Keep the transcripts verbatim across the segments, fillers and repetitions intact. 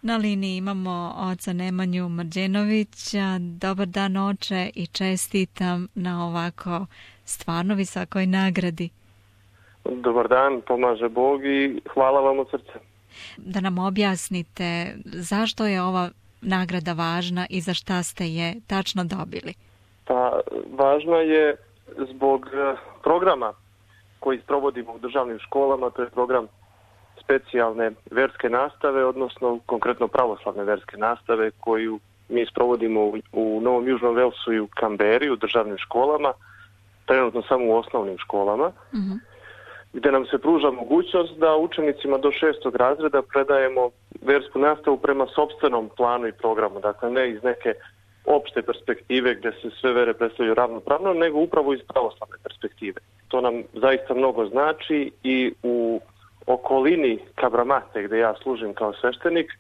Na liniji imamo oca Nemanju Mrđenovića. Dobar dan, oče, i čestitam na ovako stvarno visokoj nagradi. Dobar dan, pomaže Bog i hvala vam od srca. Da nam objasnite zašto je ova nagrada važna i za šta ste je tačno dobili. Pa, važna je zbog programa koji sprovodimo u državnim školama, to je program specijalne verske nastave, odnosno konkretno pravoslavne verske nastave koju mi sprovodimo u, u Novom Južnom Velsu i u Kamberi u državnim školama, trenutno samo u osnovnim školama, mm-hmm. gdje nam se pruža mogućnost da učenicima do šestog razreda predajemo versku nastavu prema sopstvenom planu i programu, dakle ne iz neke opšte perspektive gdje se sve vere predstavljaju ravnopravno, nego upravo iz pravoslavne perspektive. To nam zaista mnogo znači i u okolini Kabramate, gdje ja služim kao sveštenik,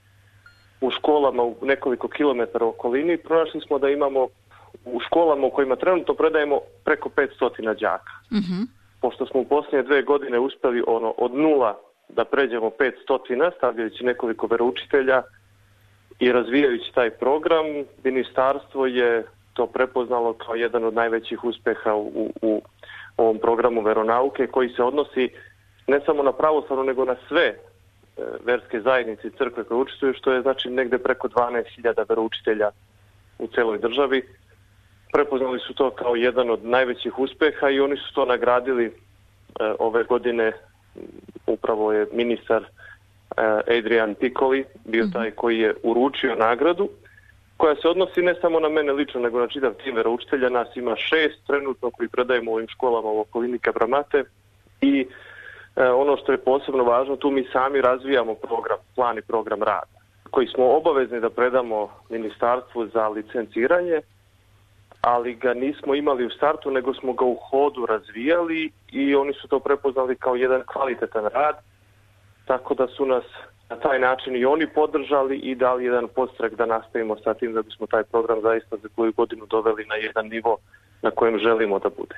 u školama u nekoliko kilometara okolini, pronašli smo da imamo u školama u kojima trenutno predajemo preko petsto đaka. Mm-hmm. Pošto smo u posljednje dve godine uspjeli ono, od nula da pređemo petsto, stavljajući nekoliko veroučitelja i razvijajući taj program, ministarstvo je to prepoznalo kao jedan od najvećih uspjeha u, u, u ovom programu veronauke koji se odnosi ne samo na pravoslavno, nego na sve e, verske zajednice i crkve koje učestvuju, što je znači negdje preko dvanaest hiljada veroučitelja u celoj državi. Prepoznali su to kao jedan od najvećih uspjeha i oni su to nagradili e, ove godine. Upravo je ministar e, Adrian Piccoli bio taj koji je uručio nagradu, koja se odnosi ne samo na mene lično, nego na čitav tim veroučitelja. Nas ima šest trenutno koji predajemo u ovim školama u okolini Kabramate i e, ono što je posebno važno, tu mi sami razvijamo program, plan i program rada, koji smo obavezni da predamo ministarstvu za licenciranje, ali ga nismo imali u startu, nego smo ga u hodu razvijali i oni su to prepoznali kao jedan kvalitetan rad, tako da su nas na taj način i oni podržali i dali jedan podstrek da nastavimo sa tim, da bismo taj program zaista za koju godinu doveli na jedan nivo na kojem želimo da bude.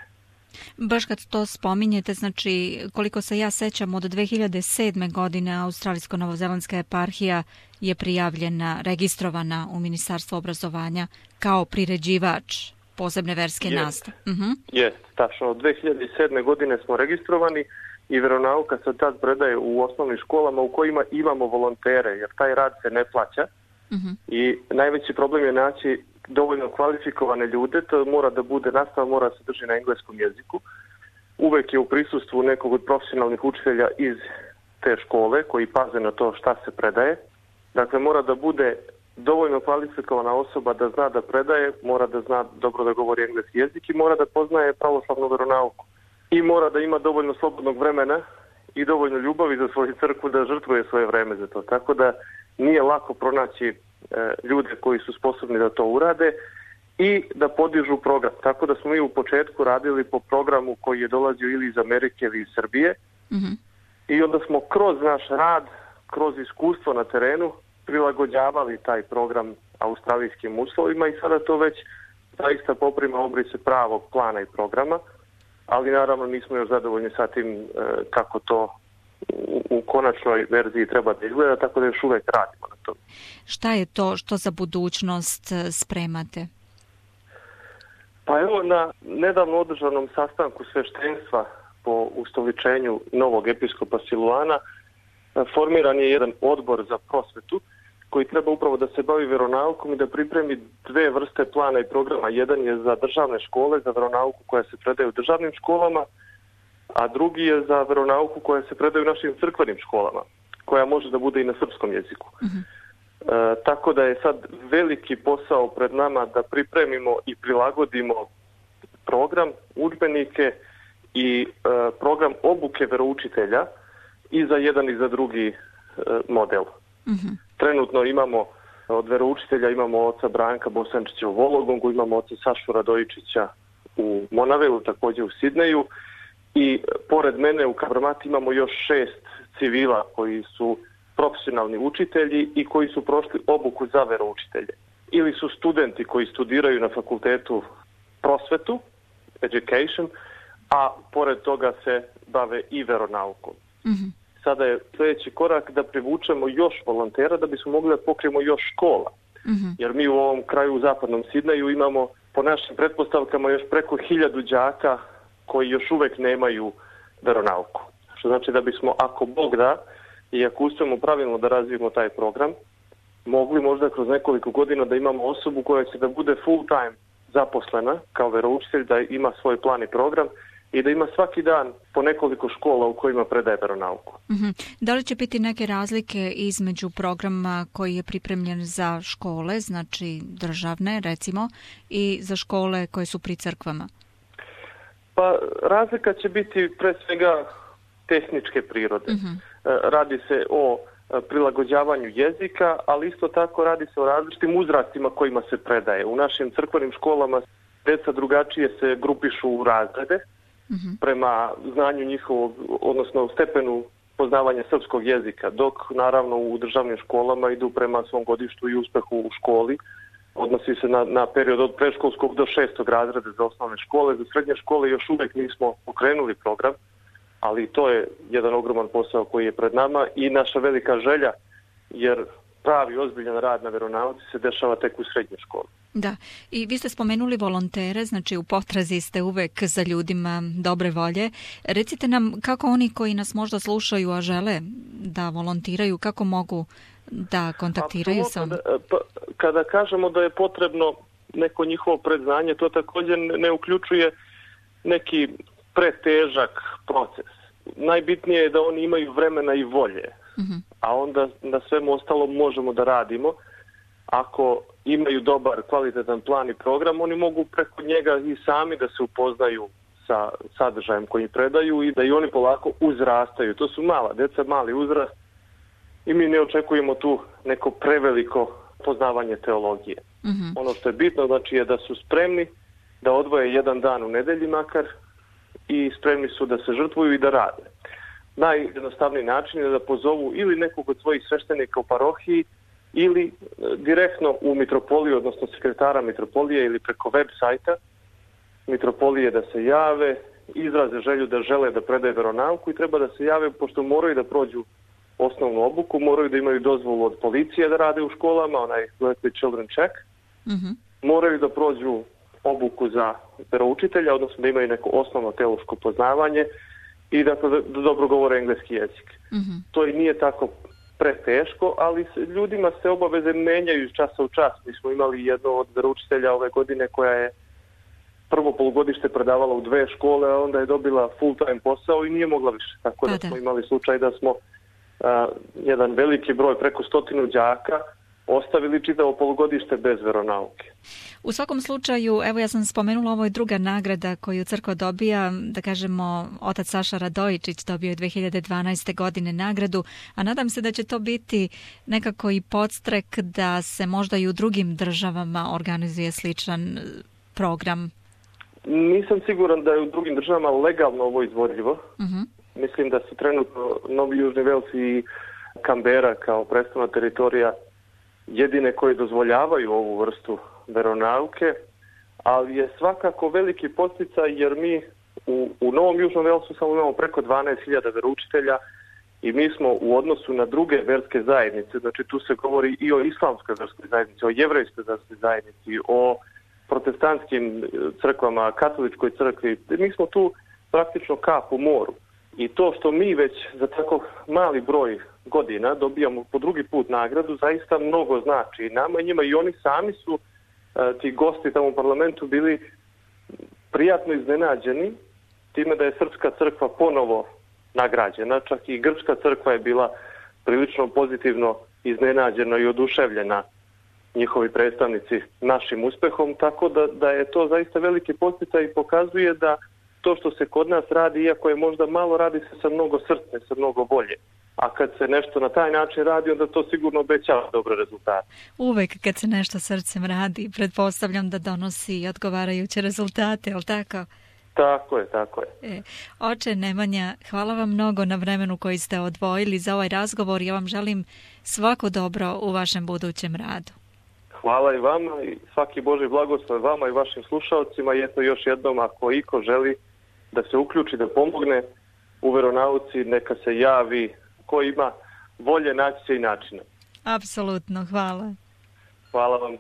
Baš kad to spominjete, znači koliko se ja sećam, od dve hiljade sedme. godine Australijsko-Novozelandska eparhija je prijavljena, registrovana u Ministarstvu obrazovanja kao priređivač posebne verske Jest. nastave. Uh-huh. Jest, tačno. Od dve hiljade sedme. godine smo registrovani i veronauka se tad predaje u osnovnim školama u kojima imamo volontere, jer taj rad se ne plaća. Uh-huh. I najveći problem je naći dovoljno kvalifikovane ljude, to mora da bude, nastava mora se drži na engleskom jeziku. Uvek je u prisustvu nekog od profesionalnih učitelja iz te škole koji paze na to šta se predaje. Dakle, mora da bude dovoljno kvalifikovana osoba da zna da predaje, mora da zna dobro da govori engleski jezik i mora da poznaje pravoslavnu veronauku. I mora da ima dovoljno slobodnog vremena i dovoljno ljubavi za svoju crkvu da žrtvuje svoje vreme za to. Tako da nije lako pronaći e, ljude koji su sposobni da to urade i da podižu program. Tako da smo mi u početku radili po programu koji je dolazio ili iz Amerike ili iz Srbije. Mm-hmm. I onda smo kroz naš rad, kroz iskustvo na terenu prilagođavali taj program australijskim uslovima i sada to već zaista poprima obrise pravog plana i programa, ali naravno nismo još zadovoljni sa tim e, kako to u, u konačnoj verziji treba da izgleda, tako da još uvek radimo na to. Šta je to što za budućnost spremate? Pa evo, na nedavno održanom sastanku sveštenstva po ustoličenju novog episkopa Siluana formiran je jedan odbor za prosvetu koji treba upravo da se bavi veronaukom i da pripremi dve vrste plana i programa. Jedan je za državne škole, za veronauku koja se predaje u državnim školama, a drugi je za veronauku koja se predaje u našim crkvenim školama, koja može da bude i na srpskom jeziku. Mm-hmm. E, tako da je sad veliki posao pred nama da pripremimo i prilagodimo program, udžbenike i e, program obuke veroučitelja i za jedan i za drugi e, model. Mm-hmm. Trenutno imamo od veroučitelja imamo oca Branka Bosančića u Vologongu, imamo oca Sašu Radojičića u Monavelu, također u Sidneju i pored mene u Kabramati imamo još šest civila koji su profesionalni učitelji i koji su prošli obuku za veroučitelje. Ili su studenti koji studiraju na fakultetu prosvetu, education, a pored toga se bave i veronaukom. Mm-hmm. sada je sljedeći korak da privučemo još volontera da bismo mogli da pokrijemo još škola. Mm-hmm. Jer mi u ovom kraju u zapadnom Sidneju imamo po našim pretpostavkama još preko hiljadu đaka koji još uvek nemaju veronauku. Što znači da bismo, ako Bog da, i ako uspijemo pravilno da razvijemo taj program, mogli možda kroz nekoliko godina da imamo osobu koja će da bude full time zaposlena kao veroučitelj, da ima svoj plan i program i da ima svaki dan po nekoliko škola u kojima predaje veronauku. Mm-hmm. Da li će biti neke razlike između programa koji je pripremljen za škole, znači državne recimo, i za škole koje su pri crkvama? Pa razlika će biti pre svega tehničke prirode. Mm-hmm. Radi se o prilagođavanju jezika, ali isto tako radi se o različitim uzrastima kojima se predaje. U našim crkvenim školama deca drugačije se grupišu u razrede, mm-hmm. prema znanju njihovog, odnosno stepenu poznavanja srpskog jezika, dok naravno u državnim školama idu prema svom godištu i uspehu u školi. Odnosi se na, na period od predškolskog do šestog razreda za osnovne škole. Za srednje škole još uvek nismo pokrenuli program, ali to je jedan ogroman posao koji je pred nama i naša velika želja, jer pravi ozbiljan rad na veronauci se dešava tek u srednjoj školi. Da, i vi ste spomenuli volontere, znači u potrazi ste uvek za ljudima dobre volje. Recite nam kako oni koji nas možda slušaju, a žele da volontiraju, kako mogu da kontaktiraju sa vama? Kada kažemo da je potrebno neko njihovo predznanje, to također ne uključuje neki pretežak proces. Najbitnije je da oni imaju vremena i volje, mm-hmm. a onda na svemu ostalom možemo da radimo. Ako imaju dobar, kvalitetan plan i program, oni mogu preko njega i sami da se upoznaju sa sadržajem koji predaju i da i oni polako uzrastaju. To su mala deca, mali uzrast i mi ne očekujemo tu neko preveliko poznavanje teologije. Mm-hmm. Ono što je bitno znači je da su spremni da odvoje jedan dan u nedelji makar i spremni su da se žrtvuju i da rade. Najjednostavniji način je da pozovu ili nekog od svojih sveštenika u parohiji ili direktno u mitropoliju, odnosno sekretara mitropolije ili preko web sajta mitropolije da se jave, izraze želju da žele da predaju veronauku i treba da se jave pošto moraju da prođu osnovnu obuku, moraju da imaju dozvolu od policije da rade u školama, onaj Weekly Children Check, mm-hmm. moraju da prođu obuku za veroučitelja, odnosno da imaju neko osnovno teološko poznavanje i da, da dobro govore engleski jezik. Mm-hmm. To i nije tako preteško, ali se, ljudima se obaveze menjaju iz časa u čas. Mi smo imali jedno od veroučitelja ove godine koja je prvo polugodište predavala u dve škole, a onda je dobila full time posao i nije mogla više. Tako da, da smo imali slučaj da smo a, jedan veliki broj, preko stotinu đaka, ostavili čitavo polugodište bez veronauke. U svakom slučaju, evo ja sam spomenula, ovo je druga nagrada koju crkva dobija, da kažemo, otac Saša Radojičić dobio je dve hiljade dvanaeste. godine nagradu, a nadam se da će to biti nekako i podstrek da se možda i u drugim državama organizuje sličan program. Nisam siguran da je u drugim državama legalno ovo izvodljivo. Uh-huh. Mislim da su trenutno Novi Južni Vels i Kambera kao predstavna teritorija jedine koje dozvoljavaju ovu vrstu veronauke, ali je svakako veliki podsticaj jer mi u, u Novom Južnom Velsu samo imamo preko dvanaest hiljada veroučitelja i mi smo u odnosu na druge verske zajednice, znači tu se govori i o islamskoj verskoj zajednici, o jevrejskoj verskoj zajednici, o protestantskim crkvama, katoličkoj crkvi, mi smo tu praktično kap u moru. I to što mi već za tako mali broj godina dobijamo po drugi put nagradu, zaista mnogo znači i nama i njima i oni sami su, ti gosti tamo u parlamentu, bili prijatno iznenađeni time da je Srpska crkva ponovo nagrađena, čak i Grčka crkva je bila prilično pozitivno iznenađena i oduševljena njihovi predstavnici našim uspehom, tako da, da je to zaista veliki podsticaj i pokazuje da to što se kod nas radi, iako je možda malo, radi se sa mnogo srce, sa mnogo volje. A kad se nešto na taj način radi, onda to sigurno obećava dobre rezultate. Uvek kad se nešto srcem radi, pretpostavljam da donosi odgovarajuće rezultate, je li tako? Tako je, tako je. E, oče Nemanja, hvala vam mnogo na vremenu koji ste odvojili za ovaj razgovor. Ja vam želim svako dobro u vašem budućem radu. Hvala i vama i svaki Božji blagoslov vama i vašim slušalcima. I eto još jednom, ako iko želi da se uključi, da pomogne u veronauci, neka se javi ko ima volje, naći se i načina. Apsolutno, hvala. Hvala vam.